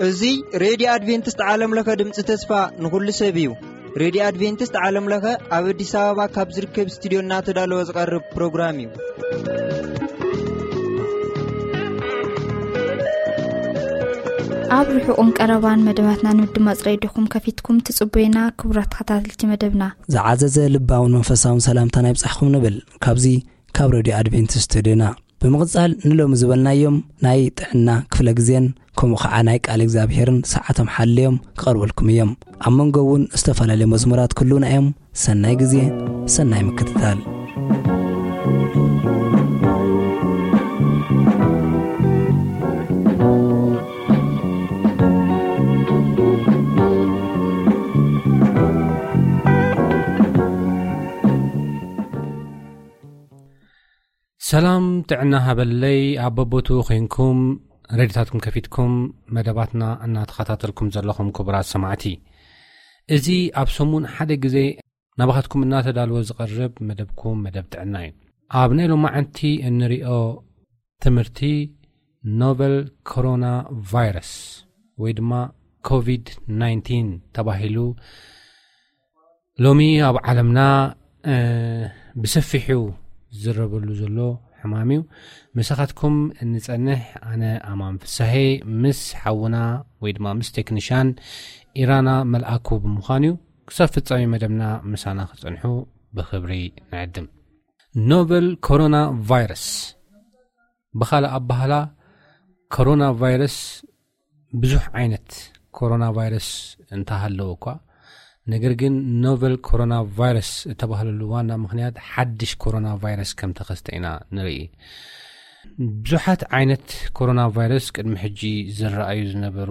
እዚ ሬድዮ ኣድቬንቲስት ዓለም ለኸ ድምፂ ተስፋ ንኹሉ ሰብ እዩ። ሬድዮ ኣድቬንቲስት ዓለም ለኸ ኣብ ኣዲስ ኣበባ ካብ ዝርከብ ስቱዲዮ እናተዳለወ ዝቐርብ ፕሮግራም እዩ። ኣብ ርሑቕን ቀረባን መደባትና ንምድማፅ ሬድዮኹም ከፊትኩም ትጽቡዩና፣ ክቡራት ተኸታተልቲ መደብና። ዝዓዘዘ ልባውን መንፈሳውን ሰላምታና ይብጻሕኩም ንብል። ካብዚ ካብ ሬድዮ ኣድቬንቲስት ስቱዲዮና ብምቕጻል ንሎሚ ዝበልናዮም ናይ ጥዕና ክፍለ ግዜን ከምኡ ኸዓ ናይ ቃል እግዚኣብሔርን ሰዓቶም ሓልዮም ክቐርበልኩም እዮም። ኣብ መንጎ እውን ዝተፈላለዩ መዝሙራት ክህልዉና እዮም። ሰናይ ግዜ፣ ሰናይ ምክትታል። ሰላም ጥዕና ሃበለይ፣ ኣብ በቦቱ ኮይንኩም ሬድዮታትኩም ከፊትኩም መደባትና እናተኸታተልኩም ዘለኹም ክቡራት ሰማዕቲ፣ እዚ ኣብ ሰሙን ሓደ ግዜ ናባኻትኩም እናተዳልወ ዝቐርብ መደብኩም መደብ ጥዕና እዩ። ኣብ ናይ ሎማዓንቲ እንሪኦ ትምህርቲ ኖቨል ኮሮና ቫይረስ ወይ ድማ ኮቪድ ናይንቲን ተባሂሉ ሎሚ ኣብ ዓለምና፣ እ፣ ብሰፊሑ ዝዝረበሉ ዘሎ ሕማም እዩ። ምሳኻትኩም እንጸንሕ ኣነ ኣማን ፍሳሄ ምስ ሓውና ወይ ድማ ምስ ቴክኒሻን ኢራና መልኣኩ ብምዃን እዩ። ክሳብ ፍጻሜ መደብና ምሳና ክጸንሑ ብኽብሪ ንዕድም። ኖቨል ኮሮና ቫይረስ፣ ብኻልእ ኣባህላ ኮሮና ቫይረስ ብዙሕ ዓይነት ኮሮና ቫይረስ እንተሃለወ እኳ፣ ነገር ግን ኖቨል ኮሮና ቫይረስ እተባህለሉ ዋና ምኽንያት ሓድሽ ኮሮና ቫይረስ ከም ተኸስተ ኢና ንርኢ። ብዙሓት ዓይነት ኮሮና ቫይረስ ቅድሚ ሕጂ ዝረኣዩ ዝነበሩ፣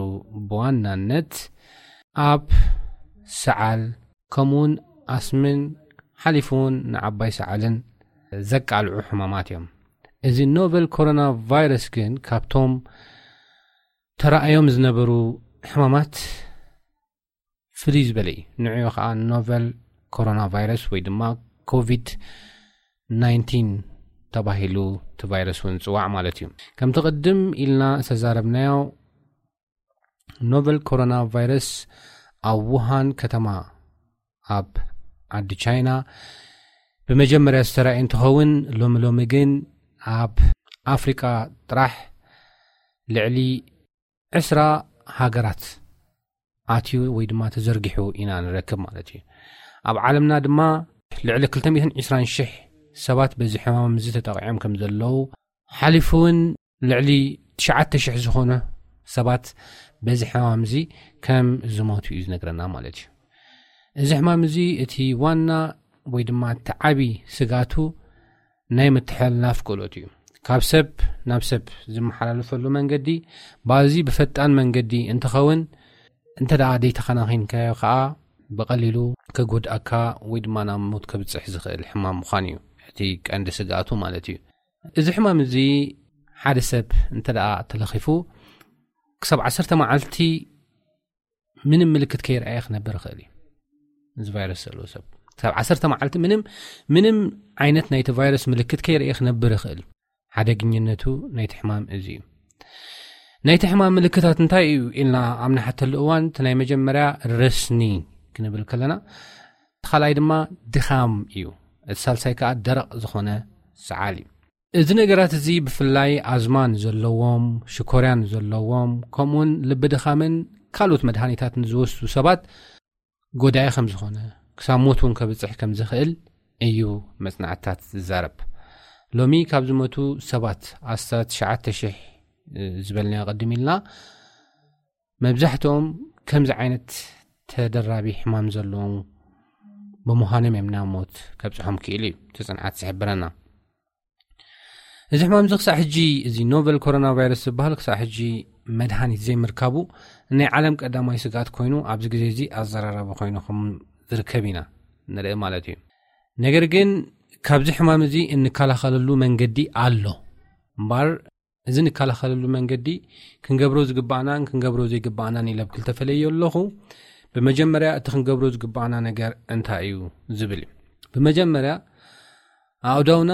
ብዋናነት ኣብ ሰዓል፣ ከምኡውን ኣስምን ሓሊፉ እውን ንዓባይ ሰዓልን ዘቃልዑ ሕማማት እዮም። እዚ ኖቨል ኮሮና ቫይረስ ግን ካብቶም ተራእዮም ዝነበሩ ሕማማት ፍልይ ዝበለ እዩ። ንዕኡ ኸዓ ኖቨል ኮሮና ቫይረስ ወይ ድማ ኮቪድ ናይንቲን ተባሂሉ እቲ ቫይረስ እውን ዝጽዋዕ ማለት እዩ። ከምቲ ቅድም ኢልና ዝተዛረብናዮ፣ ኖቨል ኮሮና ቫይረስ ኣብ ውሃን ከተማ ኣብ ዓዲ ቻይና ብመጀመርያ ዝተራእየ እንትኸውን፣ ሎሚ ሎሚ ግን ኣብ ኣፍሪቃ ጥራሕ ልዕሊ ዕስራ ሃገራት ኣትዩ ወይ ድማ ተዘርጊሑ ኢና ንረክብ ማለት እዩ። ኣብ ዓለምና ድማ ልዕሊ ክልተ ሚእትን ዕስራን ሽሕ ሰባት በዚ ሕማም እዚ ተጠቒዖም ከም ዘለዉ፣ ሓሊፉ እውን ልዕሊ ትሽዓተ ሽሕ ዝኾኑ ሰባት በዚ ሕማም እዚ ከም ዝሞቱ እዩ ዝነግረና ማለት እዩ። እዚ ሕማም እዚ እቲ ዋና ወይ ድማ እቲ ዓቢ ስጋቱ ናይ ምትሕልላፍ ክእለቱ እዩ። ካብ ሰብ ናብ ሰብ ዝመሓላለፈሉ መንገዲ፣ በዚ ብፈጣን መንገዲ እንትኸውን፣ እንተ ደኣ ዘይተኸናኺንካዮ ከኣ ብቐሊሉ ከጎድኣካ ወይ ድማ ናብ ሞት ከብጽሕ ዝኽእል ሕማም ምዃን እዩ እቲ ቀንዲ ስግኣቱ ማለት እዩ። እዚ ሕማም እዚ ሓደ ሰብ እንተ ደኣ ተለኺፉ፣ ክሳብ ዓሰርተ መዓልቲ ምንም ምልክት ከይረኣየ ክነብር ይኽእል እዩ። እዚ ቫይረስ ዘለዎ ሰብ ክሳብ ዓሰርተ መዓልቲ ምንም፣ ምንም ዓይነት ናይቲ ቫይረስ ምልክት ከይረኣየ ክነብር ይኽእል። ሓደግኝነቱ ናይቲ ሕማም እዚ እዩ። ናይቲ ሕማም ምልክታት እንታይ እዩ ኢልና ኣብ ንሓተሉ እዋን፣ እቲ ናይ መጀመርያ ረስኒ ክንብል ከለና፣ እቲ ካልኣይ ድማ ድኻም እዩ። እቲ ሳልሳይ ከኣ ደረቕ ዝኾነ ሰዓል እዩ። እዚ ነገራት እዚ ብፍላይ ኣዝማ ንዘለዎም፣ ሽኮርያ ንዘለዎም፣ ከምኡውን ልቢ ድኻምን ካልኦት መድሃኒታት ንዝወስዱ ሰባት ጎዳኢ ከም ዝኾነ፣ ክሳብ ሞት እውን ከብጽሕ ከም ዝኽእል እዩ መጽናዕትታት ዝዛረብ። ሎሚ ካብ ዝሞቱ ሰባት ኣስታት ትሽዓተ ሽሕ ዝበልናዮ ቅድም ኢልና፣ መብዛሕትኦም ከምዚ ዓይነት ተደራቢ ሕማም ዘለዎም ብምዃኖም እዮም ናብ ሞት ከብጽሖም ክኢሉ እዩ እቲ ጽንዓት ዝሕብረና። እዚ ሕማም እዚ ክሳዕ ሕጂ፣ እዚ ኖቨል ኮሮና ቫይረስ ዝበሃል ክሳዕ ሕጂ መድሃኒት ዘይምርካቡ ናይ ዓለም ቀዳማይ ስግኣት ኮይኑ፣ ኣብዚ ግዜ እዚ ኣዘራራቢ ኮይኑ ከም ዝርከብ ኢና ንርኢ ማለት እዩ። ነገር ግን ካብዚ ሕማም እዚ እንከላኸለሉ መንገዲ ኣሎ እምበር፣ እዚ እንከላኸለሉ መንገዲ ክንገብሮ ዝግባኣናን ክንገብሮ ዘይግባኣናን ኢለ ኣብ ክልተ ፈለዮ ኣለኹ። ብመጀመርያ እቲ ክንገብሮ ዝግባኣና ነገር እንታይ እዩ ዝብል እዩ። ብመጀመርያ ኣእዳውና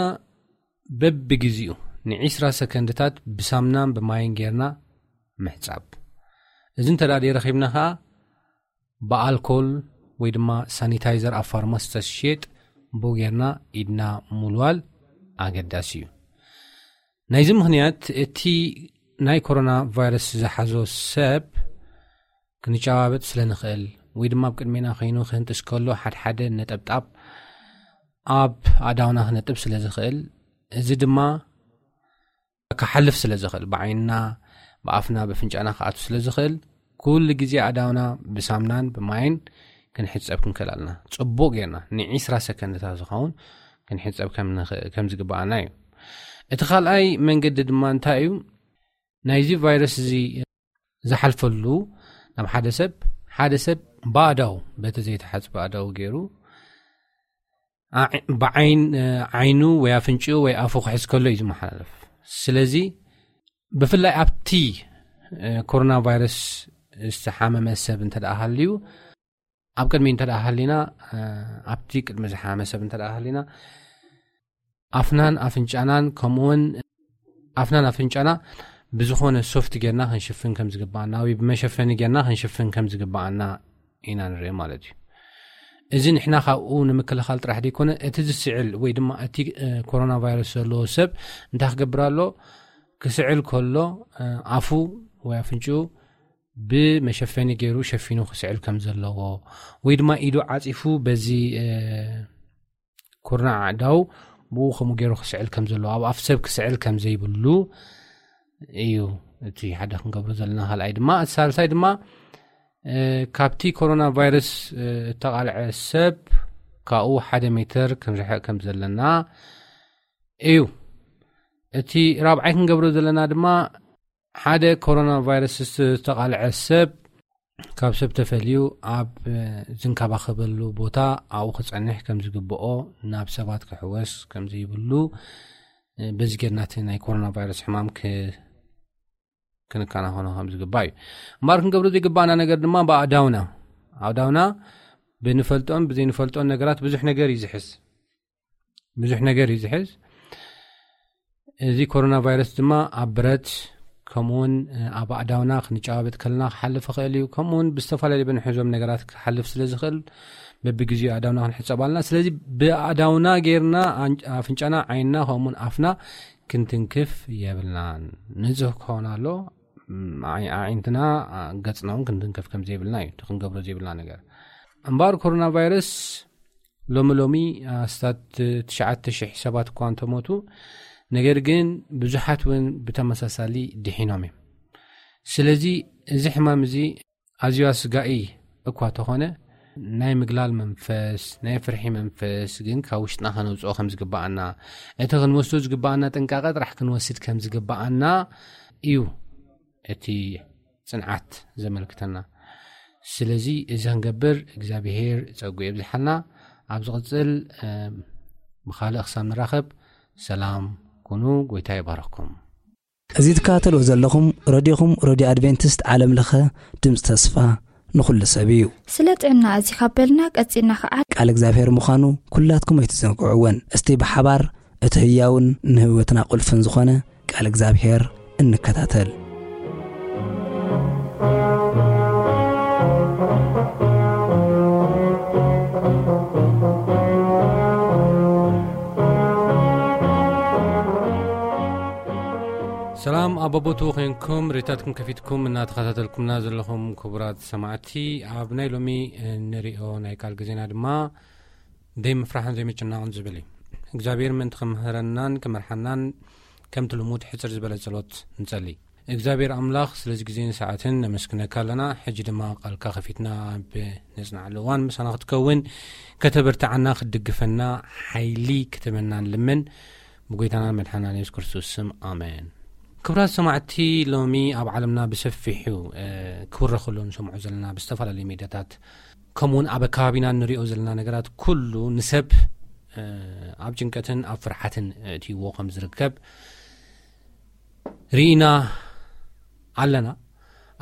በብግዜኡ ንዒስራ ሰከንድታት ብሳምናን ብማይን ጌርና ምሕጻብ። እዚ እንተ ደኣ ረኺብና ኸኣ ብኣልኮል ወይ ድማ ሳኒታይዘር ኣብ ፋርማሲ ተሽየጥ ብኡ ጌርና ኢድና ምውልዋል ኣገዳሲ እዩ። ናይዚ ምኽንያት እቲ ናይ ኮሮና ቫይረስ ዝሓዞ ሰብ ክንጨባበጥ ስለ ንኽእል ወይ ድማ ኣብ ቅድሜና ኮይኑ ክህንጥስ ከሎ ሓድሓደ ነጠብጣብ ኣብ ኣእዳውና ክነጥብ ስለ ዝኽእል፣ እዚ ድማ ክሓልፍ ስለ ዝኽእል፣ ብዓይንና፣ ብኣፍና፣ ብፍንጫና ክኣቱ ስለ ዝኽእል፣ ኩሉ ግዜ ኣእዳውና ብሳምናን ብማይን ክንሕጸብ ክንክእል ኣለና። ጽቡቕ ጌርና ንዒስራ ሰከንድታት ዝኸውን ክንሕጸብ ከም ንኽእል፣ ከም ዝግብኣና እዩ። እቲ ካልኣይ መንገዲ ድማ እንታይ እዩ? ናይዚ ቫይረስ እዚ ዝሓልፈሉ ናብ ሓደ ሰብ፣ ሓደ ሰብ ብኣእዳው፣ በቲ ዘይተሓጽበ ኣእዳው ገይሩ፣ ኣዕ-፣ ብዓይን-፣ ዓይኑ ወይ ኣፍንጭኡ ወይ ኣፉ ክሕዝ ከሎ እዩ ዝመሓላለፍ። ስለዚ ብፍላይ ኣብቲ፣ እ፣ ኮሮና ቫይረስ ዝተሓመመ ሰብ እንተ ደኣ ሃልዩ፣ ኣብ ቅድሚ እንተ ደኣ ሃሊና፣ እ፣ ኣብቲ ቅድሚ ዝሓመመ ሰብ እንተ ደኣ ሃሊና፣ ኣፍናን ኣፍንጫናን፣ ከምኡውን ኣፍናን ኣፍንጫና ብዝኾነ ሶፍት ጌርና ክንሽፍን ከም ዝግብኣና ወይ ብመሸፈኒ ጌርና ክንሽፍን ከም ዝግብኣና ኢና ንርኢ ማለት እዩ። እዚ ንሕና ካብኡ ንምክልኻል ጥራሕ ዘይኮነ፣ እቲ ዝስዕል ወይ ድማ እቲ፣ እ፣ ኮሮና ቫይረስ ዘለዎ ሰብ እንታይ ክገብር ኣሎ? ክስዕል ከሎ፣ እ፣ ኣፉ ወይ ኣፍንጭኡ ብመሸፈኒ ገይሩ ሸፊኑ ክስዕል ከም ዘለዎ ወይ ድማ ኢዱ ዓጺፉ በዚ፣ እ፣ ኩርናዕ ኣእዳው ብኡ ከምኡ ገይሩ ክስዕል ከም ዘለዎ፣ ኣብ ኣፍ ሰብ ክስዕል ከም ዘይብሉ እዩ እቲ ሓደ ክንገብሮ ዘለና። ካልኣይ ድማ፣ እቲ ሳልሳይ ድማ፣ እ፣ ካብቲ ኮሮና ቫይረስ፣ እ፣ እተቓልዐ ሰብ ካብኡ ሓደ ሜትር ክንርሕቕ ከም ዘለና እዩ። እቲ ራብዓይ ክንገብሮ ዘለና ድማ፣ ሓደ ኮሮና ቫይረስ ዝተቓልዐ ሰብ ካብ ሰብ ተፈልዩ ኣብ፣ እ፣ ዝንከባኸበሉ ቦታ ኣብኡ ክጸንሕ ከም ዝግብኦ፣ ናብ ሰባት ክሕወስ ከም ዘይብሉ፣ እ፣ በዚ ጌርና እቲ ናይ ኮሮና ቫይረስ ሕማም ክ-፣ ክንከናኸኖ ከም ዝግባእ እዩ። እምበኣር ክንገብሮ ዘይግባኣና ነገር ድማ ብኣእዳውና፣ ኣእዳውና ብንፈልጦን ብዘይንፈልጦን ነገራት ብዙሕ ነገር እዩ ዝሕዝ። ብዙሕ ነገር እዩ ዝሕዝ። እዚ ኮሮና ቫይረስ ድማ ኣብ ብረት፣ ከምኡውን ኣብ ኣእዳውና ክንጨባበጥ ከለና ክሓልፍ ይኽእል እዩ። ከምኡውን ብዝተፈላለዩ ብንሕዞም ነገራት ክሓልፍ ስለ ዝኽእል፣ በብግዜኡ ኣእዳውና ክንሕጸብ ኣለና። ስለዚ ብኣእዳውና ጌርና ኣን-፣ ኣፍንጫና፣ ዓይንና፣ ከምኡውን ኣፍና ክንትንክፍ የብልናን። ንጹህ ክኸውን ኣሎ። ም፣ ኣዒ-፣ ኣዒንትና፣ ኣ፣ ገጽና እውን ክንትንከፍ ከም ዘይብልና እዩ እቲ ክንገብሮ ዘይብልና ነገር። እምበኣር ኮሮና ቫይረስ ሎሚ ሎሚ ኣስታት ትሽዓተ ሽሕ ሰባት እኳ እንተሞቱ፣ ነገር ግን ብዙሓት እውን ብተመሳሳሊ ድሒኖም እዮም። ስለዚ እዚ ሕማም እዚ ኣዝዩ ኣስጋኢ እኳ ተኾነ፣ ናይ ምግላል መንፈስ፣ ናይ ፍርሒ መንፈስ ግን ካብ ውሽጥና ከነውጽኦ ከም ዝግብኣና፣ እቲ ክንወስዶ ዝግብኣና ጥንቃቐ ጥራሕ ክንወስድ ከም ዝግብኣና እዩ እቲ ጽንዓት ዘመልክተና። ስለዚ እዚ ክንገብር እግዚኣብሄር ጸጉ የብዝሓልና። ኣብ ዝቕጽል፣ እ፣ ብኻልእ ክሳብ ንራኸብ፣ ሰላም ኩኑ። ጎይታ ይባርኽኩም። እዚ ትከታተልዎ ዘለኹም ረድዮኹም፣ ረድዮ ኣድቬንቲስት ዓለም ለኸ ድምፂ ተስፋ ንኹሉ ሰብ እዩ። ስለ ጥዕና እዚ ካብ በልና ቀጺልና ኸዓ ቃል እግዚኣብሔር ምዃኑ ኩላትኩም ኣይትዘንግዕዎን። እስቲ ብሓባር እቲ ህያውን ንህይወትና ቁልፍን ዝኾነ ቃል እግዚኣብሔር እንከታተል። ሰላም ኣብ በቦትኡ ኮይንኩም ሬድዮታትኩም ከፊትኩም እናተኸታተልኩምና ዘለኹም ክቡራት ሰማዕቲ፣ ኣብ ናይ ሎሚ እንሪኦ ናይ ቃል ግዜና ድማ ዘይምፍራሕን ዘይምጭናቕን ዝብል እዩ። እግዚኣብሔር ምእንቲ ክምህረናን ክመርሓናን ከምቲ ልሙድ ሕጽር ዝበለ ጸሎት ንጸሊ። እግዚኣብሔር ኣምላኽ ስለዚ ግዜን ሰዓትን ነመስግነካ ኣለና። ሕጂ ድማ ቃልካ ከፊትና ኣብ ነጽንዓሉ እዋን ምሳና ክትከውን፣ ከተበርትዓና፣ ክትድግፈና፣ ሓይሊ ክትህበና ንልምን። ብጎይታናን መድሓናን የሱስ ክርስቶስ ስም፣ ኣሜን። ክቡራት ሰማዕቲ፣ ሎሚ ኣብ ዓለምና ብሰፊሑ፣ እ፣ ክውረ ከሎ ንሰምዖ ዘለና ብዝተፈላለዩ ሜድያታት፣ ከምኡውን ኣብ ኣከባቢና እንሪኦ ዘለና ነገራት ኩሉ ንሰብ፣ እ፣ ኣብ ጭንቀትን ኣብ ፍርሓትን ኣእትይዎ ከም ዝርከብ ርኢና ኣለና።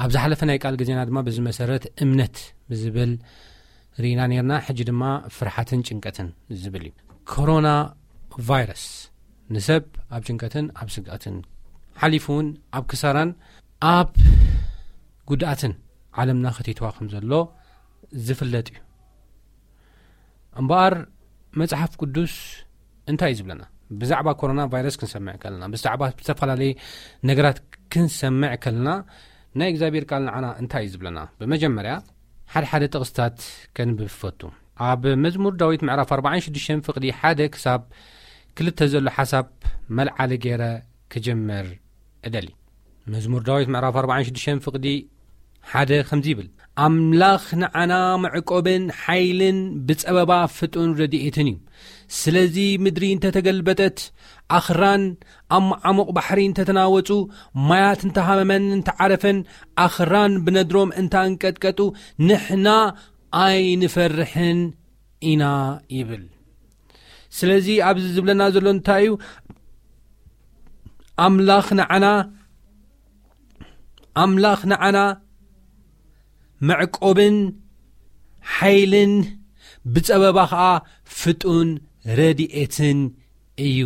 ኣብ ዝሓለፈ ናይ ቃል ግዜና ድማ በዚ መሰረት እምነት ብዝብል ርኢና ነርና። ሕጂ ድማ ፍርሓትን ጭንቀትን ዝብል እዩ። ኮሮና ቫይረስ ንሰብ ኣብ ጭንቀትን ኣብ ስግኣትን ሓሊፉ እውን ኣብ ክሳራን ኣብ ጉድኣትን ዓለምና ከቲትዋ ከም ዘሎ ዝፍለጥ እዩ። እምበኣር መጽሓፍ ቅዱስ እንታይ እዩ ዝብለና? ብዛዕባ ኮሮና ቫይረስ ክንሰምዕ ከለና፣ ብዛዕባ ዝተፈላለየ ነገራት ክንሰምዕ ከለና፣ ናይ እግዚኣብሔር ቃል ንዓና እንታይ እዩ ዝብለና? ብመጀመርያ ሓደ ሓደ ጥቕስታት ከንብብ ፈቱ። ኣብ መዝሙር ዳዊት ምዕራፍ ኣርባዓን ሽዱሽተን ፍቕዲ ሓደ ክሳብ ክልተ ዘሎ ሓሳብ መልዓሊ ገይረ ክጀምር እደሊ። መዝሙር ዳዊት ምዕራፍ ኣርባዓን ሽዱሽተን ፍቕዲ ሓደ ከምዚ ይብል፣ ኣምላኽ ንዓና መዕቆብን ሓይልን ብጸበባ ፍጡን ረድኤትን እዩ። ስለዚ ምድሪ እንተተገልበጠት፣ ኣኽራን ኣብ መዓሙቕ ባሕሪ እንተተናወጹ፣ ማያት እንተሃመመን እንተዓረፈን፣ ኣኽራን ብነድሮም እንተኣንቀጥቀጡ፣ ንሕና ኣይንፈርሕን ኢና ይብል። ስለዚ ኣብዚ ዝብለና ዘሎ እንታይ እዩ? ኣምላኽ ንዓና ኣምላኽ ንዓና መዕቆብን ሓይልን ብጸበባ ኸኣ ፍጡን ረድኤትን እዩ።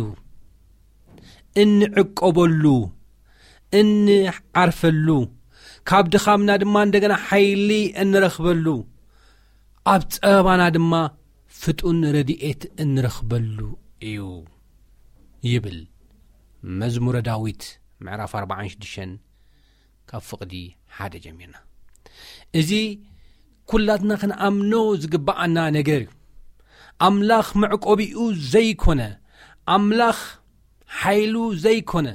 እንዕቆበሉ፣ እንዓርፈሉ፣ ካብ ድኻምና ድማ እንደገና ሓይሊ እንረኽበሉ፣ ኣብ ጸበባና ድማ ፍጡን ረድኤት እንረኽበሉ እዩ ይብል መዝሙረ ዳዊት ምዕራፍ ኣርባዓን ሽዱሽተን ካብ ፍቕዲ ሓደ ጀሚርና። እዚ ኩላትና ክንኣምኖ ዝግብኣና ነገር እዩ። ኣምላኽ መዕቆቢኡ ዘይኮነ፣ ኣምላኽ ሓይሉ ዘይኮነ፣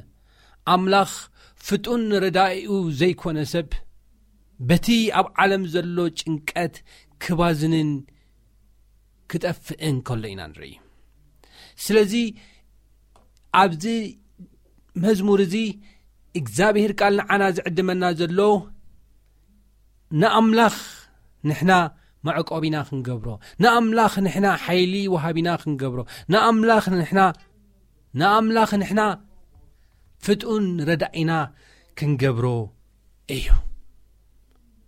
ኣምላኽ ፍጡን ረዳኢኡ ዘይኮነ ሰብ በቲ ኣብ ዓለም ዘሎ ጭንቀት ክባዝንን ክጠፍእን ከሎ ኢና ንርኢ። ስለዚ ኣብዚ መዝሙር እዚ እግዚኣብሔር ቃል ንዓና ዝዕድመና ዘሎ ንኣምላኽ ንሕና መዕቆቢና ክንገብሮ፣ ንኣምላኽ ንሕና ሓይሊ ወሃቢና ክንገብሮ፣ ንኣምላኽ ንሕና፣ ንኣምላኽ ንሕና ፍጡን ረዳኢና ክንገብሮ እዩ።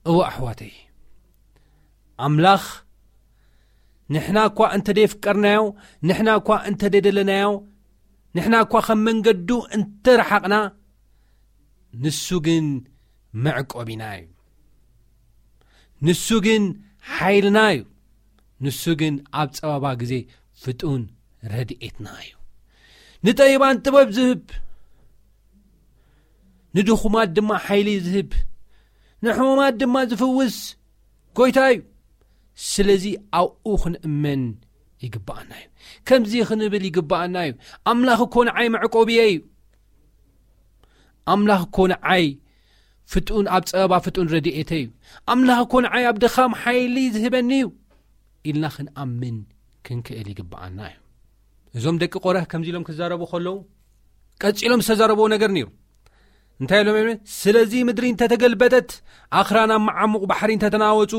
እወ ኣሕዋተይ፣ ኣምላኽ ንሕና እኳ እንተ ደየፍቀርናዮ፣ ንሕና እኳ እንተ ደደለናዮ፣ ንሕና እኳ ከም መንገዱ እንተ ረሓቕና፣ ንሱ ግን መዕቆቢና እዩ። ንሱ ግን ሓይልና እዩ። ንሱ ግን ኣብ ጸባባ ግዜ ፍጡን ረድኤትና እዩ። ንጠቢባን ጥበብ ዝህብ፣ ንድኹማት ድማ ሓይሊ ዝህብ፣ ንሕሙማት ድማ ዝፍውስ ጎይታ እዩ። ስለዚ ኣብኡ ክንእመን ይግብኣና እዩ። ከምዚ ክንብል ይግብኣና እዩ። ኣምላኽ እኮ ንዓይ መዕቆብየ እዩ። ኣምላኽ እኮ ንዓይ ፍጡን፣ ኣብ ጸበባ ፍጡን ረድኤተ እዩ። ኣምላኽ እኮ ንዓይ ኣብ ድኻም ሓይሊ ዝህበኒ እዩ ኢልና ክንኣምን ክንክእል ይግብኣና እዩ። እዞም ደቂ ቆረህ ከምዚ ኢሎም ክዛረቡ ከለዉ፣ ቀጺሎም ዝተዛረብዎ ነገር ነይሩ። እንታይ ኢሎም እዮም? ስለዚ ምድሪ እንተተገልበጠት፣ ኣኽራን ኣብ መዓሙቕ ባሕሪ እንተተናወጹ፣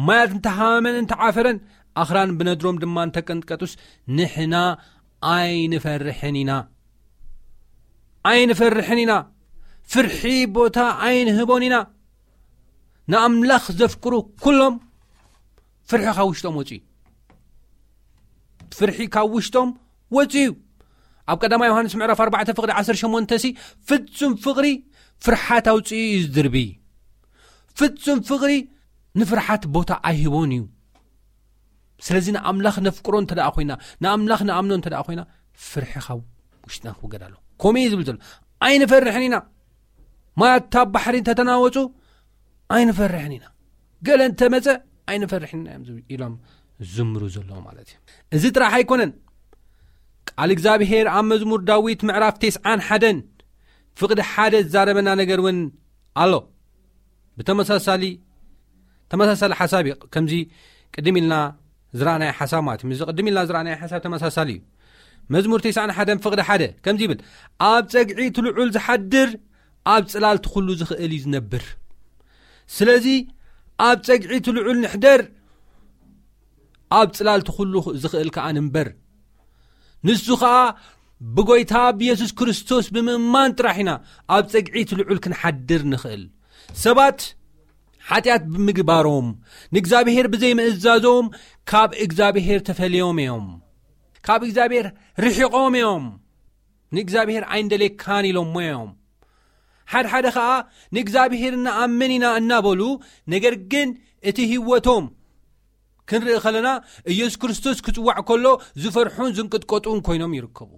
ማያት እንተሃመመን እንተዓፈረን፣ ኣኽራን ብነድሮም ድማ እንተቀንጥቀጡስ፣ ንሕና ኣይንፈርሕን ኢና። ኣይንፈርሕን ኢና። ፍርሒ ቦታ ኣይንህቦን ኢና። ንኣምላኽ ዘፍቅሩ ኩሎም ፍርሒ ካብ ውሽጦም ወጽኡ እዩ። ፍርሒ ካብ ውሽጦም ወጽኡ እዩ። ኣብ ቀዳማይ ዮሃንስ ምዕራፍ ኣርባዕተ ፍቕዲ ዓሰርተ ሸሞንተ ሲ፣ ፍጹም ፍቕሪ ፍርሓት ኣውጽኡ እዩ ዝድርቢ። ፍጹም ፍቕሪ ንፍርሓት ቦታ ኣይህቦን እዩ። ስለዚ ንኣምላኽ ነፍቅሮ እንተ ደኣ ኮይና፣ ንኣምላኽ ንኣምኖ እንተ ደኣ ኮይና፣ ፍርሒ ካብ ውሽጥና ክውገድ ኣሎ። ከምኡ እዩ ዝብል ዘሎ። ኣይንፈርሕን ኢና። ማያት ኣብ ባሕሪ እንተተናወጹ ኣይንፈርሕን ኢና። ገለ እንተመጸ ኣይንፈርሕን ኢና እዮም ዝብ-፣ ኢሎም ዝምሩ ዘለዉ ማለት እዩ። እዚ ጥራሕ ኣይኮነን። ቃል እግዚኣብሔር ኣብ መዝሙር ዳዊት ምዕራፍ ተስዓን ሓደን ፍቕዲ ሓደ ዝዛረበና ነገር እውን ኣሎ። ብተመሳሳሊ፣ ተመሳሳሊ ሓሳብ እዩ። ከምዚ ቅድም ኢልና ዝረኣናዮ ሓሳብ ማለት እዩ። ምስዚ ቅድም ኢልና ዝረኣናዮ ሓሳብ ተመሳሳሊ እዩ። መዝሙር ተስዓን ሓደን ፍቕዲ ሓደ ከምዚ ይብል፣ "ኣብ ጸግዒ እቲ ልዑል ዝሓድር ኣብ ጽላል እቲ ኩሉ ዝኽእል እዩ ዝነብር." ስለዚ ኣብ ጸግዒ እቲ ልዑል ንሕደር፣ ኣብ ጽላል እቲ ኩሉ ዝኽእል ከኣ ንንበር። ንሱ ኸኣ ብጎይታ ብየሱስ ክርስቶስ ብምእማን ጥራሕ ኢና ኣብ ጸግዒ እቲ ልዑል ክንሓድር ንኽእል። ሰባት ሓጢኣት ብምግባሮም፣ ንእግዚኣብሔር ብዘይምእዛዞም ካብ እግዚኣብሔር ተፈልዮም እዮም። ካብ እግዚኣብሔር ርሒቖም እዮም። ንእግዚኣብሔር ኣይንደሌካን ኢሎሞ እዮም። ሓድሓደ ኸኣ ንእግዚኣብሔር እንኣምን ኢና እናበሉ፣ ነገር ግን እቲ ህይወቶም ክንርኢ ከለና፣ ኢየሱስ ክርስቶስ ክጽዋዕ ከሎ ዝፈርሑን ዝንቅጥቀጡን ኮይኖም ይርከቡ።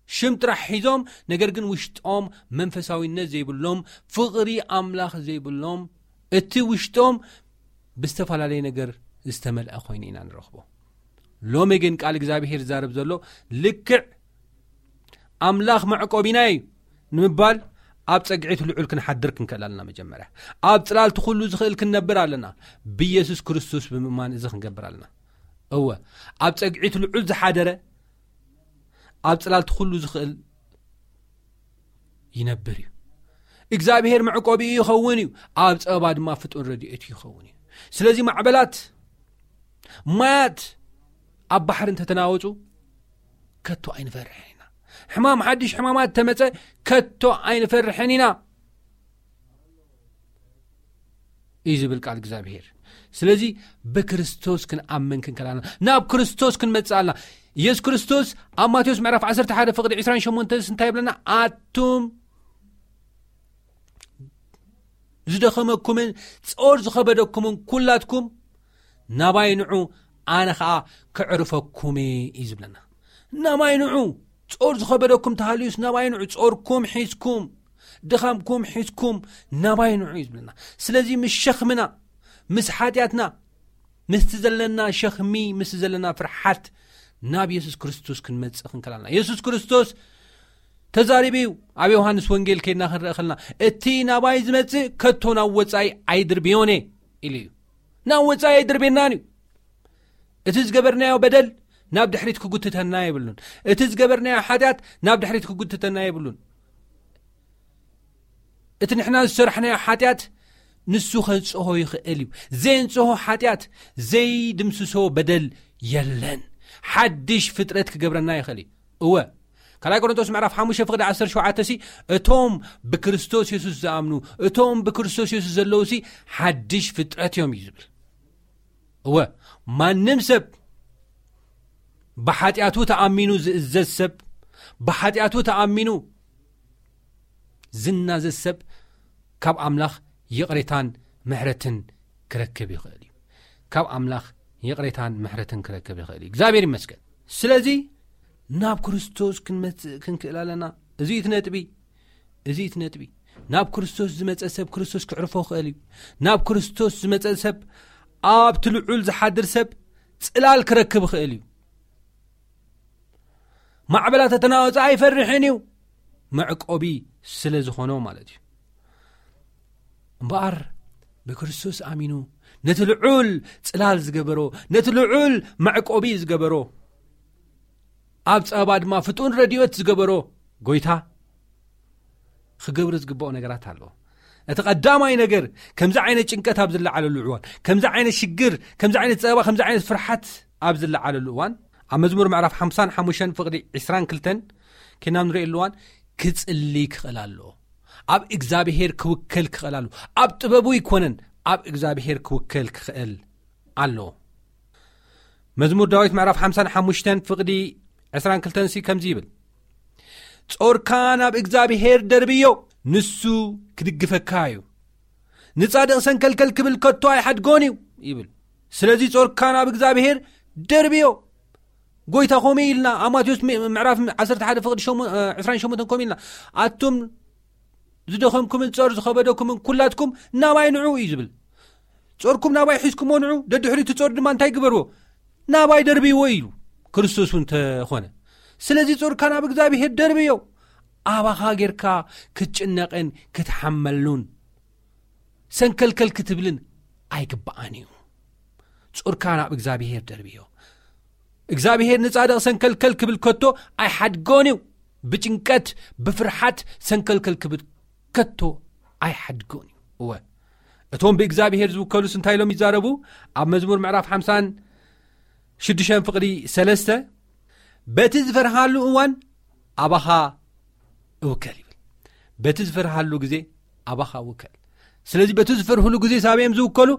ሽም ጥራሕ ሒዞም፣ ነገር ግን ውሽጦም መንፈሳዊነት ዘይብሎም፣ ፍቕሪ ኣምላኽ ዘይብሎም፣ እቲ ውሽጦም ብዝተፈላለየ ነገር ዝተመልአ ኮይኑ ኢና ንረኽቦ። ሎሚ ግን ቃል እግዚኣብሔር ዝዛረብ ዘሎ፣ ልክዕ ኣምላኽ መዕቆቢና እዩ ንምባል፣ ኣብ ጸግዒት ልዑል ክንሓድር ክንክእል ኣለና። መጀመርያ ኣብ ጽላልቲ ኩሉ ዝኽእል ክንነብር ኣለና። ብኢየሱስ ክርስቶስ ብምእማን እዚ ክንገብር ኣለና። እወ፣ ኣብ ጸግዒት ልዑል ዝሓደረ፣ ኣብ ጽላልቲ ኩሉ ዝኽእል ይነብር እዩ። እግዚኣብሔር መዕቆቢኡ ይኸውን እዩ፣ ኣብ ጸበባ ድማ ፍጡን ረድኤቱ ይኸውን እዩ። ስለዚ ማዕበላት፣ ማያት ኣብ ባሕሪ እንተተናወጹ፣ ከቶ ኣይንፈርሕን ኢና። ሕማም፣ ሓድሽ ሕማማት ተመጸ፣ ከቶ ኣይንፈርሕን ኢና እዩ ዝብል ቃል እግዚኣብሔር። ስለዚ ብክርስቶስ ክንኣምን ክንከላና፣ ናብ ክርስቶስ ክንመጽእ ኣለና። ኢየሱስ ክርስቶስ ኣብ ማቴዎስ ምዕራፍ ዓሰርተ ሓደ ፍቕዲ ዕስራን ሸሞንተን እንታይ ይብለና? ኣቱም ዝደኸመኩምን ጾር ዝኸበደኩምን ኩላትኩም ናባይ ንዑ፣ ኣነ ኸኣ ከዕርፈኩም እየ እዩ ዝብለና። ናባይ ንዑ፣ ጾር ዝኸበደኩም ተሃልዩስ ናባይ ንዑ፣ ጾርኩም ሒዝኩም፣ ድኻምኩም ሒዝኩም ናባይ ንዑ እዩ ዝብለና። ስለዚ ምስ ሸኽምና፣ ምስ ሓጢኣትና፣ ምስቲ ዘለና ሸኽሚ፣ ምስቲ ዘለና ፍርሓት ናብ የሱስ ክርስቶስ ክንመጽእ ክንከላልና። የሱስ ክርስቶስ ተዛሪቡ እዩ። ኣብ ዮሃንስ ወንጌል ከይድና ክንረአ ከለና፣ "እቲ ናባይ ዝመጽእ ከቶ ናብ ወጻኢ ኣይድርብዮን እየ" ኢሉ እዩ። ናብ ወጻኢ ኣይድርብየናን እዩ። እቲ ዝገበርናዮ በደል ናብ ድሕሪት ክጉትተና የብሉን። እቲ ዝገበርናዮ ሓጢኣት ናብ ድሕሪት ክጉትተና የብሉን። እቲ ንሕና ዝሰርሕናዮ ሓጢኣት ንሱ ከንጽሆ ይኽእል እዩ። ዘየንጽሆ ሓጢኣት፣ ዘይድምስሶ በደል የለን። ሓድሽ ፍጥረት ክገብረና ይኽእል እዩ። እወ፣ ካልኣይ ቆሮንቶስ ምዕራፍ ሓሙሽተ ፍቕዲ ዓሰርተ ሸውዓተ ሲ፣ "እቶም ብክርስቶስ የሱስ ዝኣምኑ፣ እቶም ብክርስቶስ የሱስ ዘለዉ ሲ ሓድሽ ፍጥረት እዮም" እዩ ዝብል። እወ፣ ማንም ሰብ ብሓጢኣቱ ተኣሚኑ ዝእዘዝ ሰብ፣ ብሓጢኣቱ ተኣሚኑ ዝናዘዝ ሰብ ካብ ኣምላኽ ይቕሬታን ምሕረትን ክረክብ ይኽእል እዩ። ካብ ኣምላኽ ይቕሬታን ምሕረትን ክረክብ ይኽእል እዩ። እግዚኣብሔር ይመስገን። ስለዚ ናብ ክርስቶስ ክንመጽእ ክንክእል ኣለና። እዚ እቲ ነጥቢ፣ እዚ እቲ ነጥቢ። ናብ ክርስቶስ ዝመጸ ሰብ ክርስቶስ ክዕርፎ ይኽእል እዩ። ናብ ክርስቶስ ዝመጸ ሰብ፣ ኣብቲ ልዑል ዝሓድር ሰብ ጽላል ክረክብ ይኽእል እዩ። ማዕበላት ተተናወጸ ኣይፈርሕን እዩ፣ መዕቆቢ ስለ ዝኾኖ ማለት እዩ። እምበኣር ብክርስቶስ ኣሚኑ ነቲ ልዑል ጽላል ዝገበሮ፣ ነቲ ልዑል መዕቆቢ ዝገበሮ፣ ኣብ ጸበባ ድማ ፍጡን ረድኤት ዝገበሮ ጎይታ ክገብሮ ዝግብኦ ነገራት ኣሎ። እቲ ቀዳማይ ነገር፣ ከምዚ ዓይነት ጭንቀት ኣብ ዝለዓለሉ እዋን፣ ከምዚ ዓይነት ሽግር፣ ከምዚ ዓይነት ጸበባ፣ ከምዚ ዓይነት ፍርሓት ኣብ ዝለዓለሉ እዋን፣ ኣብ መዝሙር ምዕራፍ ሓምሳን ሓሙሽተን ፍቕዲ ዕስራን ክልተን ኬና ንርእየሉ እዋን፣ ክጽሊ ክኽእል ኣሎ። ኣብ እግዚኣብሔር ክውከል ክኽእል ኣሎ። ኣብ ጥበቡ ኣይኮነን፣ ኣብ እግዚኣብሔር ክውከል ክኽእል ኣሎ። መዝሙር ዳዊት ምዕራፍ ሓምሳን ሓሙሽተን ፍቕዲ ዕስራን ክልተን ሲ ከምዚ ይብል፣ "ጾርካ ናብ እግዚኣብሔር ደርብዮ፣ ንሱ ክድግፈካ እዩ። ንጻድቕ ሰንከልከል ክብል ከቶ ኣይሓድጎን እዩ" ይብል። ስለዚ ጾርካ ናብ እግዚኣብሔር ደርብዮ። ጎይታ ከምኡ ኢልና፣ ኣብ ማቴዎስ ም-፣ ምዕራፍ ዓሰርተ ሓደ ፍቕዲ ሸሞ-፣ እ፣ ዕስራን ሸሞንተን ከምኡ ኢልና፣ "ኣቱም ዝደኸምኩምን ጾር ዝኸበደኩምን ኩላትኩም ናባይ ንዑ" እዩ ዝብል። "ጾርኩም ናባይ ሒዝኩሞ ንዑ፣ ደድሕሪት እቲ ጾር ድማ እንታይ ግበርዎ? ናባይ ደርብይዎ" ኢሉ ክርስቶስ እውን እንተኾነ። ስለዚ ጾርካ ናብ እግዚኣብሔር ደርብዮ። ኣባኻ ጌርካ ክትጭነቕን ክትሓመሉን ሰንከልከል ክትብልን ኣይግብኣን እዩ። ጾርካ ናብ እግዚኣብሔር ደርብዮ። እግዚኣብሔር ንጻድቕ ሰንከልከል ክብል ከቶ ኣይሓድጎን እዩ። ብጭንቀት፣ ብፍርሓት ሰንከልከል ክብል ከቶ ኣይሓድጎን እዩ። እወ፣ እቶም ብእግዚኣብሔር ዝውከሉስ እንታይ ኢሎም ይዛረቡ? ኣብ መዝሙር ምዕራፍ ሓምሳን ሽዱሽተን ፍቕዲ ሰለስተ፣ "በቲ ዝፈርሃሉ እዋን ኣባኻ እውከል" ይብል። በቲ ዝፈርሃሉ ግዜ ኣባኻ እውከል። ስለዚ በቲ ዝፈርህሉ ግዜ ሳበይ እዮም ዝውከሉ?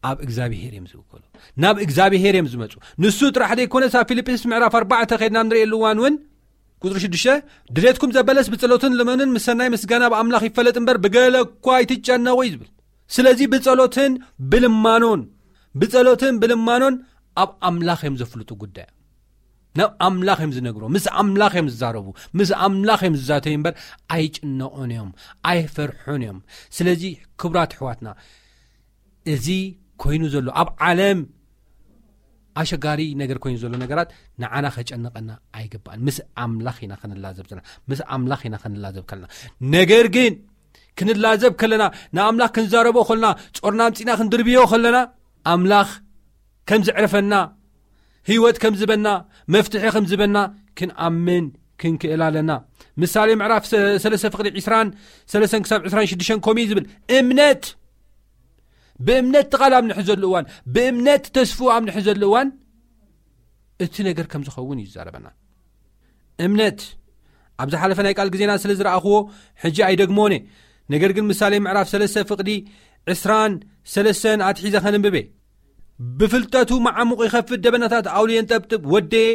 ኣብ እግዚኣብሄር እዮም ዝውከሉ፣ ናብ እግዚኣብሄር እዮም ዝመፁ። ንሱ ጥራሕ ዘይኮነስ ኣብ ፊልጵስ ምዕራፍ ኣርባዕተ ከድና ንርእየሉ እዋን እውን ቁፅሪ ሽዱሽተ፣ ድሌትኩም ዘበለስ ብጸሎትን ልመንን ምስ ሰናይ ምስጋና ኣብ ኣምላኽ ይፈለጥ እምበር ብገለ እኳ ኣይትጨነቑ እዩ ዝብል። ስለዚ ብጸሎትን ብልማኖን፣ ብጸሎትን ብልማኖን ኣብ ኣምላኽ እዮም ዘፍልጡ ጉዳይ፣ ናብ ኣምላኽ እዮም ዝነግሮ፣ ምስ ኣምላኽ እዮም ዝዛረቡ፣ ምስ ኣምላኽ እዮም ዝዛተዩ እምበር ኣይጭነቑን እዮም፣ ኣይፈርሑን እዮም። ስለዚ ክቡራት ኣሕዋትና፣ እዚ ኮይኑ ዘሎ ኣብ ዓለም ኣሸጋሪ ነገር ኮይኑ ዘሎ ነገራት ንዓና ከጨንቐና ኣይግባእን። ምስ ኣምላኽ ኢና ክንላዘብ ዘለና፣ ምስ ኣምላኽ ኢና ክንላዘብ ከለና። ነገር ግን ክንላዘብ ከለና፣ ንኣምላኽ ክንዛረቦ ከለና፣ ጾርና ኣምጺና ክንድርብዮ ከለና፣ ኣምላኽ ከም ዝዕርፈና፣ ህይወት ከም ዝበና፣ መፍትሒ ከም ዝበና ክንኣምን ክንክእል ኣለና። ምሳሌ ምዕራፍ ሰ-፣ ሰለስተ ፍቕዲ ዕስራን ሰለስተን ክሳብ ዕስራን ሽዱሽተን ከምኡ እዩ ዝብል። እምነት፣ ብእምነት እቲ ቃል ኣብ ንሕዘሉ እዋን፣ ብእምነት ተስፍኡ ኣብ ንሕዘሉ እዋን፣ እቲ ነገር ከም ዝኸውን እዩ ዝዛረበና። እምነት፣ ኣብ ዝሓለፈ ናይ ቃል ግዜና ስለ ዝረኣኽዎ ሕጂ ኣይደግሞን እየ። ነገር ግን ምሳሌ ምዕራፍ ሰለስተ ፍቕዲ ዕስራን ሰለስተን ኣትሒዘ ከነንብበ። ብፍልጠቱ መዓሙቕ ይኸፍት፣ ደበናታት ኣውሊ የንጠብጥብ። ወደየ፣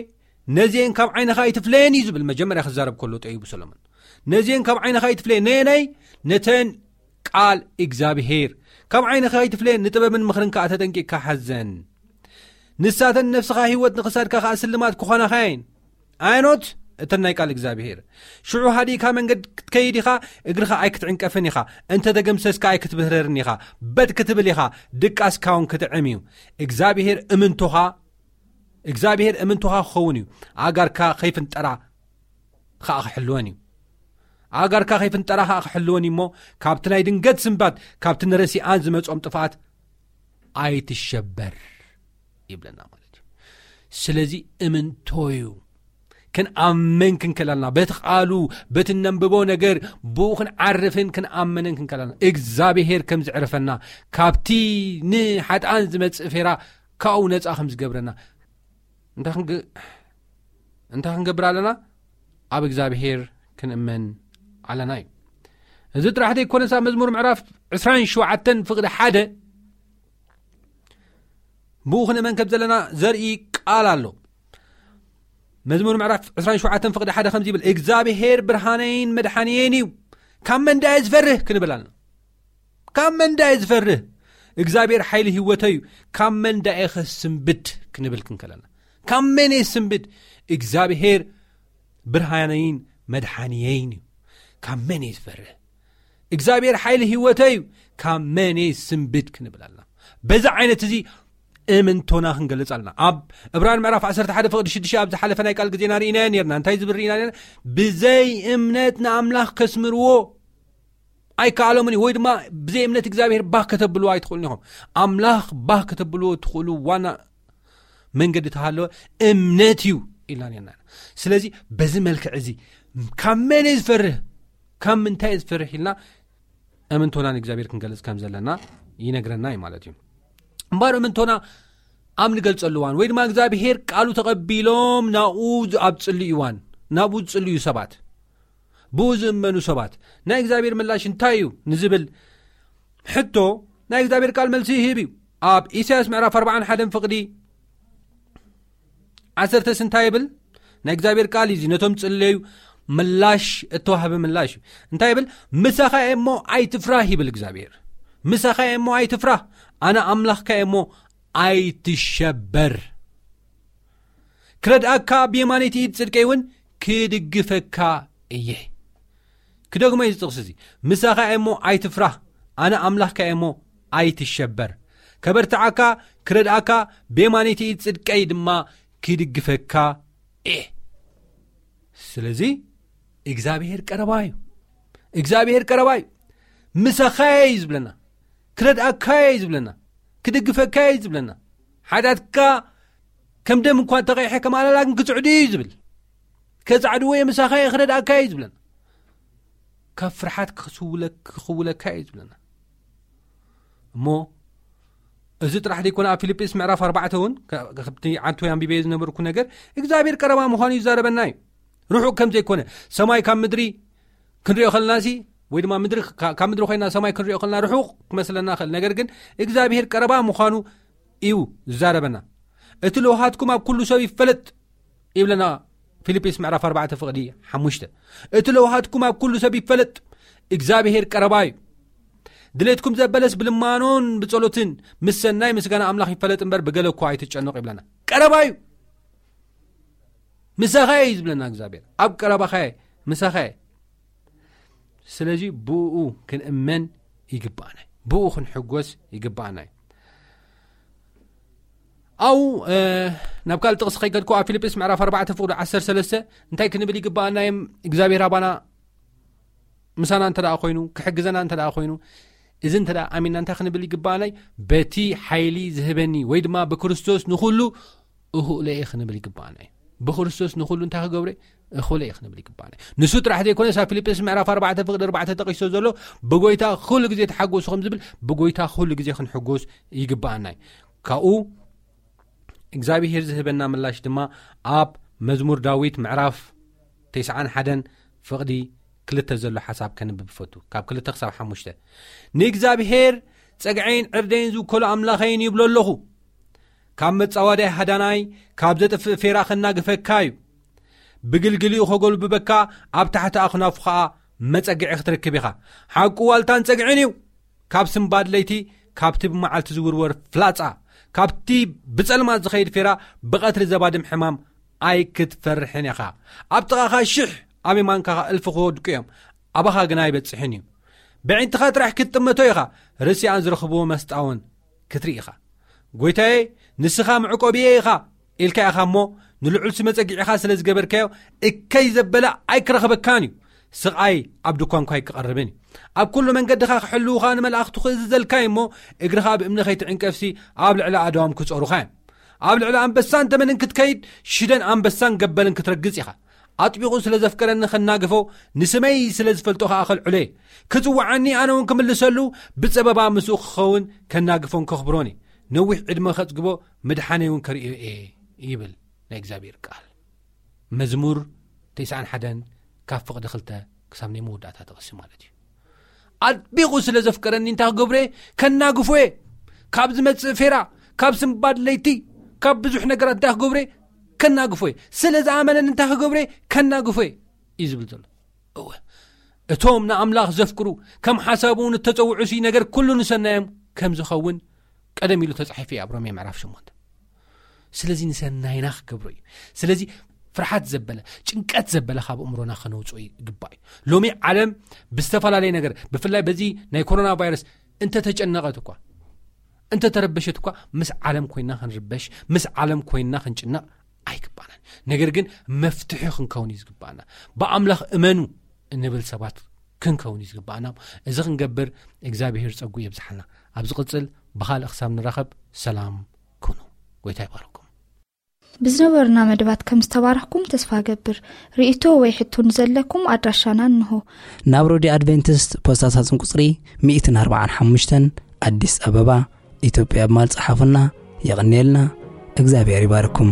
ነዚኤን ካብ ዓይንኻ ኣይትፍለየን እዩ ዝብል። መጀመርያ ክዛረብ ከሎ ጠይቡ ሰሎሞን፣ ነዚኤን ካብ ዓይንኻ ኣይትፍለየን። ነየናይ? ነተን ቃል እግዚኣብሄር። ካብ ዓይንኻ ኣይትፍለየን፣ ንጥበብን ምኽርን ከኣ ተጠንቂቕካ ሓዘን። ንሳተን ነፍስኻ ህይወት፣ ንኽሳድካ ከኣ ስልማት ክኾናኻ እየን። ኣየኖት? እተን ናይ ቃል እግዚኣብሄር። ሽዑ ሃዲእካ መንገድ ክትከይድ ኢኻ፣ እግርኻ ኣይክትዕንቀፍን ኢኻ፣ እንተ ተገምሰስካ ኣይክትብህረርን ኢኻ፣ በጥ ክትብል ኢኻ፣ ድቃስካ እውን ክጥዕም እዩ። እግዚኣብሄር እምንቶኻ፣ እግዚኣብሄር እምንቶኻ ክኸውን እዩ። ኣእጋርካ ከይፍንጠራ ከኣ ክሕልወን እዩ። ኣእጋርካ ከይፍንጠራ ከኣ ክሕልወን እዩ እሞ፣ ካብቲ ናይ ድንገት ስንባት፣ ካብቲ ንረሲኣን ዝመጾም ጥፍኣት ኣይትሸበር ይብለና ማለት እዩ። ስለዚ እምንቶ እዩ። ክንኣምን ክንክእል ኣለና። በቲ ቃሉ፣ በቲ እነንብቦ ነገር፣ ብኡ ክንዓርፍን ክንኣምንን ክንክእል ኣለና። እግዚኣብሄር ከም ዝዕርፈና፣ ካብቲ ንሓጥኣን ዝመጽእ ፌራ ካብኡ ነጻ ከም ዝገብረና። እንታይ ክንግ-፣ እንታይ ክንገብር ኣለና? ኣብ እግዚኣብሄር ክንእመን ኣለና እዩ። እዚ ጥራሕ ዘይኮነስ ኣብ መዝሙር ምዕራፍ ዕስራን ሸውዓተን ፍቕዲ ሓደ፣ ብኡ ክንእመን ከም ዘለና ዘርኢ ቃል ኣሎ። መዝሙር ምዕራፍ ዕስራን ሸውዓተን ፍቕዲ ሓደ ከምዚ ይብል፣ "እግዚኣብሄር ብርሃነይን መድሓንየይን እዩ፣ ካብ መን ደኣ እየ ዝፈርህ?" ክንብል ኣለና። ካብ መን ደኣ እየ ዝፈርህ? እግዚኣብሄር ሓይሊ ህይወተይ እዩ፣ ካብ መን ደኣ እየ ከስንብድ? ክንብል ክንከለና፣ ካብ መን እየ ዝስንብድ? እግዚኣብሄር ብርሃነይን መድሓንየይን እዩ፣ ካብ መን እየ ዝፈርህ? እግዚኣብሄር ሓይሊ ህይወተይ እዩ፣ ካብ መን እየ ዝስንብድ? ክንብል ኣለና። በዚ ዓይነት እዚ እምንቶና ክንገልጽ ኣለና። ኣብ ዕብራን ምዕራፍ ዓሰርተ ሓደ ፍቕዲ ሽዱሽተ ኣብ ዝሓለፈ ናይ ቃል ግዜና ርኢናዮ ነርና። እንታይ ዝብል ርኢና ነርና? "ብዘይ እምነት ንኣምላኽ ከስምርዎ ኣይከኣሎምን እዩ"፣ ወይ ድማ "ብዘይ እምነት እግዚኣብሄር ባህ ከተብልዎ ኣይትኽእሉን ኢኹም"። ኣምላኽ ባህ ከተብልዎ ትኽእሉ ዋና መንገዲ ተሃለወ እምነት እዩ ኢልና ነርና። ስለዚ በዚ መልክዕ እዚ ካብ መን እየ ዝፈርህ፣ ካብ ምንታይ እየ ዝፈርህ ኢልና እምንቶና ንእግዚኣብሄር ክንገልጽ ከም ዘለና ይነግረና እዩ ማለት እዩ። እምበኣር እምንቶና ኣብ ንገልጸሉ እዋን፣ ወይ ድማ እግዚኣብሄር ቃሉ ተቐቢሎም ናብኡ ዝ-፣ ኣብ ጽልዩ እዋን፣ ናብኡ ዝጽልዩ ሰባት፣ ብኡ ዝእመኑ ሰባት፣ ናይ እግዚኣብሄር ምላሽ እንታይ እዩ ንዝብል ሕቶ፣ ናይ እግዚኣብሄር ቃል መልሲ ይህብ እዩ። ኣብ ኢሳያስ ምዕራፍ ኣርባዓን ሓደን ፍቕዲ ዓሰርተስ እንታይ ይብል? ናይ እግዚኣብሔር ቃል እዩ እዚ ነቶም ጽለዩ ምላሽ እተዋህበ ምላሽ እዩ። እንታይ ይብል? "ምሳኻ እየ እሞ ኣይትፍራህ" ይብል እግዚኣብሔር። "ምሳኻ እየ እሞ ኣይትፍራህ፣ ኣነ ኣምላኽካ እየ እሞ ኣይትሸበር። ክረድኣካ ብየማነይቲ ኢድ ጽድቀይ እውን ክድግፈካ እየ።" ክደግሞ እዩ እዚ ጥቕሲ እዚ። "ምሳኻ እየ እሞ ኣይትፍራህ፣ ኣነ ኣምላኽካ እየ እሞ ኣይትሸበር። ከበርትዓካ፣ ክረድኣካ፣ ብየማነይቲ ኢድ ጽድቀይ ድማ ክድግፈካ እየ።" ስለዚ እግዚኣብሔር ቀረባ እዩ። እግዚኣብሔር ቀረባ እዩ። "ምሳኻ እየ" እዩ ዝብለና። "ክረድኣካ እየ" እዩ ዝብለና። "ክድግፈካ እየ" እዩ ዝብለና። "ሓጢኣትካ ከም ደም እኳ እንተቐይሐ፣ ከም ኣላላ ግን ክጽዕዱ እዩ" እዩ ዝብል። "ከጻዕድዎ እየ፣ ምሳኻ እየ፣ ክረድኣካ እየ" እዩ ዝብለና። ካብ ፍርሓት ክስውለ-፣ ክኽውለካ እዩ ዝብለና። እሞ እዚ ጥራሕ ዘይኮነ፣ ኣብ ፊልጵስ ምዕራፍ ኣርባዕተ እውን፣ ከ-፣ ከብቲ ዓንቶ ኣንቢበ ዝነበርኩ ነገር፣ እግዚኣብሔር ቀረባ ምዃኑ ይዛረበና እዩ። ርሑቕ ከም ዘይኮነ፣ ሰማይ ካብ ምድሪ ክንሪኦ ከለናሲ፣ ወይ ድማ ምድሪ፣ ካ-፣ ካብ ምድሪ ኮይና ሰማይ ክንሪኦ ከለና ርሑቕ ክመስለና ይኽእል። ነገር ግን እግዚኣብሔር ቀረባ ምዃኑ እዩ ዝዛረበና። "እቲ ለውሃትኩም ኣብ ኩሉ ሰብ ይፈለጥ" ይብለና ፊልጵስ ምዕራፍ ኣርባዕተ ፍቕዲ ሓሙሽተ። "እቲ ለውሃትኩም ኣብ ኩሉ ሰብ ይፈለጥ፣ እግዚኣብሔር ቀረባ እዩ። ድሌትኩም ዘበለስ ብልማኖን ብጸሎትን ምስ ሰናይ ምስጋና ኣምላኽ ይፈለጥ እምበር ብገለ እኳ ኣይትጨነቑ" ይብለና። ቀረባ እዩ። "ምሳኻ እየ" እዩ ዝብለና እግዚኣብሔር። ኣብ ቀረባኻ እየ፣ ምሳኻ እየ። ስለዚ ብኡ ክንእመን ይግባኣና እዩ። ብኡ ክንሕጎስ ይግባኣና እዩ። ኣው፣ እ፣ ናብ ካልእ ጥቕሲ ከይከድኩ ኣብ ፊልጵስ ምዕራፍ ኣርባዕተ ፍቕዱ ዓሰርተ ሰለስተ እንታይ ክንብል ይግባኣና እዮም? እግዚኣብሔር ኣባና ምሳና እንተ ደኣ ኮይኑ፣ ክሕግዘና እንተ ደኣ ኮይኑ፣ እዚ እንተ ደኣ ኣሚንና እንታይ ክንብል ይግባኣና እዩ? "በቲ ሓይሊ ዝህበኒ" ወይ ድማ "ብክርስቶስ ንኹሉ እኽእሎ እየ" ክንብል ይግባኣና እዩ። ብክርስቶስ ንኹሉ እንታይ ክገብረ? እኽእሎ እየ ክንብል ይግባኣና እዩ። ንሱ ጥራሕ ዘይኮነስ ኣብ ፊልጵስ ምዕራፍ ኣርባዕተ ፍቕዲ ኣርባዕተ ተጠቒሱ ዘሎ "ብጎይታ ኩሉ ግዜ ተሓጎሱ" ከም ዝብል ብጎይታ ኩሉ ግዜ ክንሕጎስ ይግባኣና እዩ። ካብኡ እግዚኣብሔር ዝህበና ምላሽ ድማ ኣብ መዝሙር ዳዊት ምዕራፍ ተስዓን ሓደን ፍቕዲ ክልተ ዘሎ ሓሳብ ከንብብ ፈቱ። ካብ ክልተ ክሳብ ሓሙሽተ፣ "ንእግዚኣብሔር ጸግዐይን ዕርደይን ዝውከሉ ኣምላኸይን ይብሎ ኣለኹ። ካብ መጻወዳይ ሃዳናይ፣ ካብ ዘጥፍእ ፌራ ከናግፈካ እዩ። ብግልግሊኡ ከጎልብበካ፣ ኣብ ታሕቲ ኣኽናፉ ኸኣ መጸግዒ ክትረክብ ኢኻ። ሓቁ ዋልታን ጸግዕን እዩ። ካብ ስምባድ ለይቲ፣ ካብቲ ብመዓልቲ ዝውርወር ፍላጻ፣ ካብቲ ብጸልማት ዝኸይድ ፌራ፣ ብቐትሪ ዘባድም ሕማም ኣይክትፈርሕን ኢኻ። ኣብ ጥቓኻ ሽሕ፣ ኣብ የማንካ ኸኣ እልፊ ክወድቁ እዮም፣ ኣባኻ ግና ኣይበጽሕን እዩ። ብዒንትኻ ጥራሕ ክትጥመቶ ኢኻ፣ ርስያን ዝረኽብዎ መስጣውን ክትርኢ ኢኻ። ጎይታዬ፣ ንስኻ መዕቆብየ ኢኻ ኢልካ ኢኻ እሞ፣ ንልዑል ስመ ጸጊዕኻ ስለ ዝገበርካዮ፣ እከይ ዘበለ ኣይክረኽበካን እዩ። ስቓይ ኣብ ድኳንኳ ኣይክቐርብን እዩ። ኣብ ኩሉ መንገድኻ ክሕልዉኻ ንመላእኽቱ ክእዝዘልካ እዩ እሞ፣ እግርኻ ብእምኒ ከይትዕንቀፍሲ ኣብ ልዕሊ ኣድዋም ክጾሩኻ እዮም። ኣብ ልዕሊ ኣንበሳን ተመንን ክትከይድ፣ ሽደን ኣንበሳን ገበልን ክትረግጽ ኢኻ። ኣጥቢቑ ስለ ዘፍቀረኒ ከናግፎ፣ ንስመይ ስለ ዝፈልጦ ኸኣ ከልዕሎ እየ። ክጽውዓኒ ኣነ እውን ክምልሰሉ፣ ብጸበባ ምስኡ ክኸውን ከናግፎን ከኽብሮን እየ። ነዊሕ ዕድመ ከጽግቦ፣ ምድሓነይ እውን ከርእዮ እየ ይብል ናይ እግዚኣብሔር ቃል። መዝሙር ተስዓን ሓደን ካብ ፍቕዲ ክልተ ክሳብ ናይ መወዳእታ ተቐሲ ማለት እዩ። ኣጥቢቑ ስለ ዘፍቀረኒ እንታይ ክገብሮ እየ? ከናግፎ እየ። ካብ ዝመጽእ ፌራ፣ ካብ ስምባድ ለይቲ፣ ካብ ብዙሕ ነገራት እንታይ ክገብሮ እየ? ከናግፎ እየ። ስለ ዝኣመነኒ እንታይ ክገብሮ እየ? ከናግፎ እየ እዩ ዝብል ዘሎ። እወ፣ እቶም ንኣምላኽ ዘፍቅሩ፣ ከም ሓሳቡ እውን እተጸውዑሲ ነገር ኩሉ ንሰናዮም ከም ዝኸውን ቀደም ኢሉ ተጻሒፉ እዩ ኣብ ሮሜ ምዕራፍ ሸሞንተ። ስለዚ ንሰናይና ክገብሮ እዩ። ስለዚ ፍርሓት ዘበለ፣ ጭንቀት ዘበለ ካብ ኣእምሮና ከነውጽኦ ይግባእ እዩ። ሎሚ ዓለም ብዝተፈላለየ ነገር፣ ብፍላይ በዚ ናይ ኮሮና ቫይረስ እንተተጨነቐት እኳ፣ እንተተረበሸት እኳ፣ ምስ ዓለም ኮይና ክንርበሽ፣ ምስ ዓለም ኮይና ክንጭነቕ ኣይግባናን። ነገር ግን መፍትሒ ክንከውን እዩ ዝግባኣና። ብኣምላኽ እመኑ እንብል ሰባት ክንከውን እዩ ዝግባኣና። እዚ ክንገብር እግዚኣብሔር ጸጉ የብዝሓልና። ኣብ ዝቕጽል ብኻልእ ክሳብ ንራኸብ ሰላም ኩኑ። ጎይታ ይባርኩም። ብዝነበሩና መደባት ከም ዝተባረኽኩም ተስፋ እገብር። ርእይቶ ወይ ሕቶ ንዘለኩም ኣድራሻና እንሆ። ናብ ሬድዮ ኣድቬንቲስት ፖስታ ሳጥን ቁጽሪ ሚእትን ኣርባዓን ሓሙሽተን፣ ኣዲስ ኣበባ፣ ኢትዮጵያ ብማል ጸሓፉና። የቐንየልና። እግዚኣብሔር ይባርኩም።